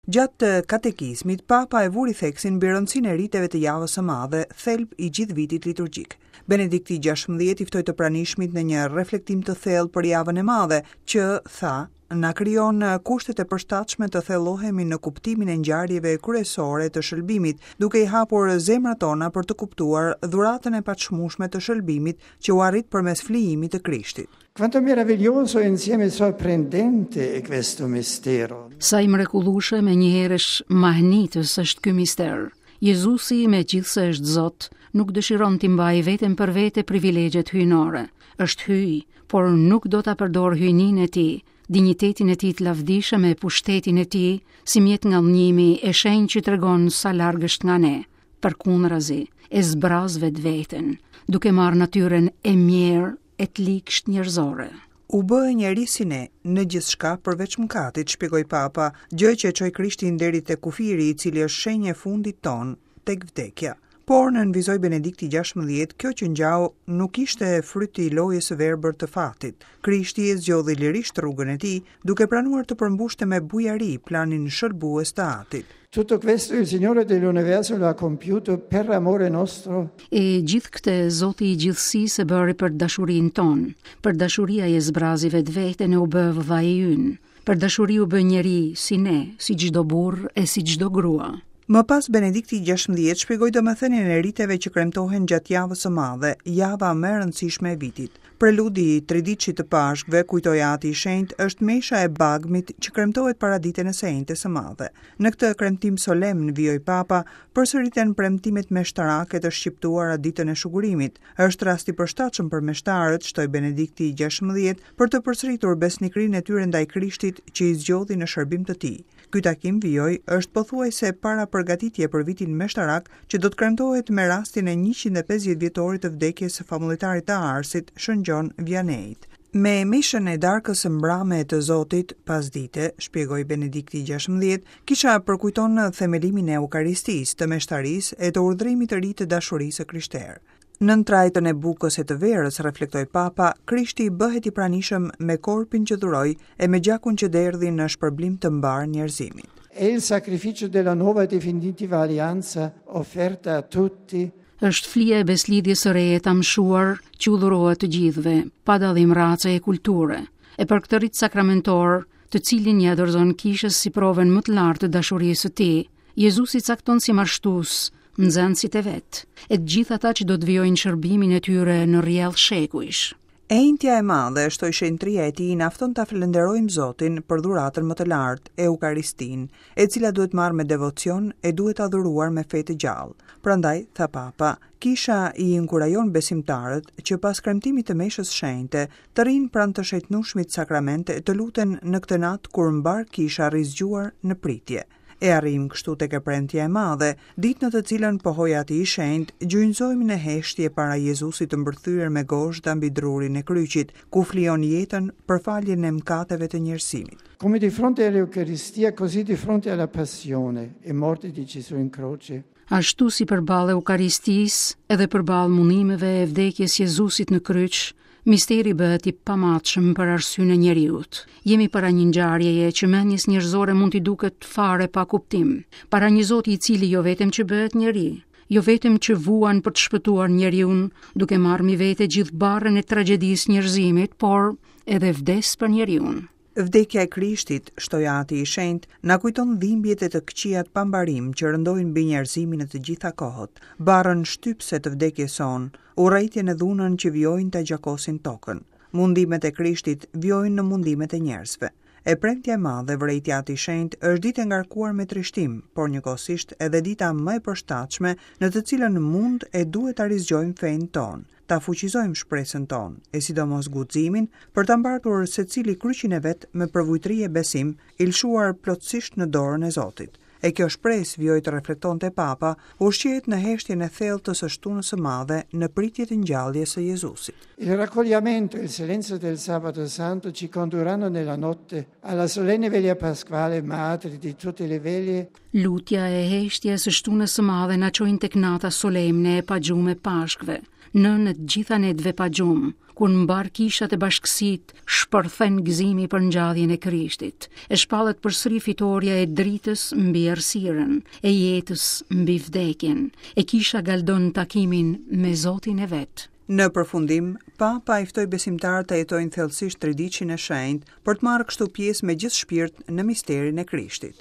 Gjatë katekizmit, Papa e vuri theksin mbi rëndësinë e riteve të Javës së Madhe, thelb i gjithë vitit liturgjik. Benedikti XVI i ftoi të pranishmit në një reflektim të thellë për Javën e Madhe, që, tha, na krijon kushtet e përshtatshme të thellohemi në kuptimin e ngjarjeve kryesore të shëlbimit, duke i hapur zemrat tona për të kuptuar dhuratën e paçmueshme të shëlbimit që u arrit përmes flijimit të Krishtit. Quanto meraviglioso e insieme sorprendente è questo mistero. Sa i mrekullueshëm e njëherësh mahnitës është ky mister. Jezusi, megjithëse është Zot, nuk dëshiron t'i mbajë vetëm për vete privilegjet hyjnore. Është hyj, por nuk do ta përdorë hyjninë e tij, dinjitetin e tij të lavdishëm e pushtetin e tij si mjet ngadhënjimi e shenjë që tregon sa larg është nga ne. Përkundrazi, e zbraz vetveten, duke marrë natyrën e mjerë e të ligshtë njerëzore. U bë njeri si ne, në gjithçka përveç mëkatit, shpjegoi Papa, gjë që e çoi Krishtin deri te kufiri, i cili është shenjë e fundit tonë, tek vdekja. Por, nënvizoi Benedikti XVI, kjo që ngjau nuk ishte fryt i lojës së verbër të fatit. Krishti e zgjodhi lirisht rrugën e tij, duke pranuar të përmbushte me bujari planin shëlbues të Atit. Tutto questo il Signore dell'universo lo ha compiuto per amore nostro. E gjithë këtë Zoti i gjithësisë e bëri për dashurinë tonë. Për dashuri ai e zbrazi vetveten e u bë vëllai ynë. Për dashuri u bë njeri, si ne, si çdo burrë e si çdo grua. Më pas Benedikti XVI shpjegoi domethënien e riteve që kremtohen gjatë Javës së Madhe, java më e rëndësishme e vitit. Preludi i Triditëshit të Pashkëve, kujtoi Ati i Shenjtë, është mesha e bagmit që kremtohet paraditen e së Enjtes së Madhe. Në këtë kremtim solemn, vijoi Papa, përsëriten premtimet meshtarake të shqiptuara ditën e shugurimit. Është rast i përshtatshëm për meshtarët, shtoi Benedikti XVI, për të përsëritur besnikërinë e tyre ndaj Krishtit që i zgjodhi në shërbim të tij. Ky takim, vijoi, është pothuajse parapërgatitje për vitin meshtarak që do të kremtohet me rastin e 150 vjetorit të vdekjes së famullitarit të Arsit, Shën Gjon Vianeit. Me meshën e darkës së mbrame të Zotit, pasdite, shpjegoi Benedikti XVI, kisha përkujton themelimin e Eukaristisë, të meshtarisë e të urdhrimit të ri të dashurisë së krishterë. Nën trajtën e bukës e të verës, reflektoi Papa, Krishti bëhet i pranishëm me korpin që dhuroi e me gjakun që derdhi në shpërblim të mbarë njerëzimit. È il sacrificio della nuova e definitiva alleanza offerta a tutti. Është flija e besëlidhjes së re e të amshuar që u dhurohet të gjithëve, pa dallim race e kulture. E për këtë rit sakramentor, të cilin ia dorëzon kishës si provën më të lartë të dashurisë së tij, Jezusi cakton si marshtues nxënësit e vet, e të gjithë ata që do të vijojnë shërbimin e tyre në rrjedhë shekujsh. E enjtja e madhe, shtoi shenjtëria e tij, na fton ta falënderojmë Zotin për dhuratën më të lartë, Eukaristinë, e cila duhet marrë me devocion e duhet adhuruar me fe të gjallë. Prandaj, tha Papa, Kisha i inkurajon besimtarët që pas kremtimit të meshës shenjte, të rrinë pranë të shenjtnueshmit sakrament e të luten në këtë natë kur mbarë Kisha rri zgjuar në pritje. E arrijmë kështu tek e premtja e madhe, ditë në të cilën, pohoi Ati i Shenjtë, gjunjëzohemi në heshtje para Jezusit të mbërthyer me gozhda mbi drurin e kryqit, ku flijon jetën për faljen e mëkateve të njerëzimit. Come di fronte all'Eucaristia, così di fronte alla passione e morte di Gesù in croce. Ashtu si përballë Eukaristisë, edhe përballë mundimeve e vdekjes Jezusit në kryq, misteri bëhet i pamatshëm për arsyen e njeriut. Jemi para një ngjarjeje që mendjes njerëzore mund t'i duket fare pa kuptim, para një Zoti i cili jo vetëm që bëhet njeri, jo vetëm që vuan për të shpëtuar njeriun, duke marrë mbi vete gjithë barrën e tragjedisë njerëzimit, por edhe vdes për njeriun. Vdekja e Krishtit, shtoi Ati i Shenjtë, na kujton dhimbjet e të këqijat pa mbarim që rëndojnë mbi njerëzimin në të gjitha kohët, barrën shtypëse të vdekjes sonë, urrejtjen e dhunën që vijojnë ta gjakosin tokën. Mundimet e Krishtit vijojnë në mundimet e njerëzve. E premtja e madhe, vërejti Ati i Shenjtë, është ditë e ngarkuar me trishtim, por njëkohësisht edhe dita më e përshtatshme në të cilën mund e duhet ta rizgjojmë fenë tonë. ta fuqizojmë shpresën tonë, e sidomos guximin, për ta mbartur secili kryqin e vet me përvujtëri e besim, i lëshuar plotësisht në dorën e Zotit. E kjo shpresë, vijoi të reflektonte Papa, ushqehet në heshtjen e thellë të së shtunës së madhe në pritje të ngjalljes së Jezusit. Il raccoglimento e il silenzio del Sabato Santo ci condurranno nella notte alla solenne veglia pasquale, madre di tutte le veglie. Lutja e heshtja e së shtunës së madhe na çojnë tek nata solemne e pa gjumë e Pashkëve, nënë e të gjitha netëve pa gjumë, kur në mbarë kishat e bashkësitë shpërthen gëzimi për ngjalljen e Krishtit, e shpallet përsëri fitorja e dritës mbi errësirën, e jetës mbi vdekjen, e kisha galdon takimin me Zotin e vet. Në përfundim, Papa i ftoi besimtarët të jetojnë thellësisht Triditshin e Shenjtë, për të marrë kështu pjesë me gjithë shpirt në misterin e Krishtit.